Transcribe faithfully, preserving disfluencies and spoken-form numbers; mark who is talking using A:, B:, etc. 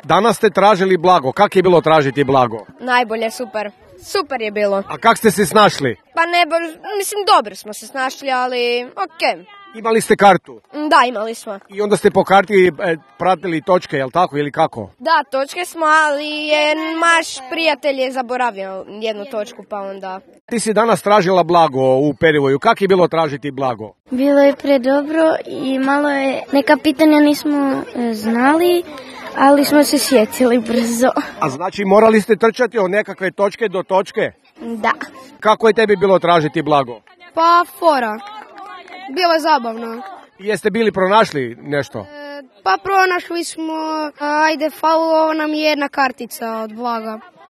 A: Danas ste tražili Blago. Kako je bilo tražiti Blago?
B: Najbolje, super. Super je bilo.
A: A kako ste se snašli?
B: Pa ne, mislim, dobro smo se snašli, ali okej.
A: Imali ste kartu?
B: Da, imali smo.
A: I onda ste po karti e, pratili točke, jel tako, ili kako?
B: Da, točke smo, ali je naš prijatelj je zaboravio jednu točku, pa onda...
A: Ti si danas tražila Blago u Perivoju. Kako je bilo tražiti Blago?
C: Bilo je predobro i malo je, neka pitanja nismo e, znali, ali smo se sjetili brzo.
A: A znači morali ste trčati od nekakve točke do točke?
C: Da.
A: Kako je tebi bilo tražiti Blago?
B: Pa fora. Bilo je zabavno.
A: Jeste bili pronašli nešto?
B: E, pa pronašli smo, ajde, falilo nam je jedna kartica od Blaga.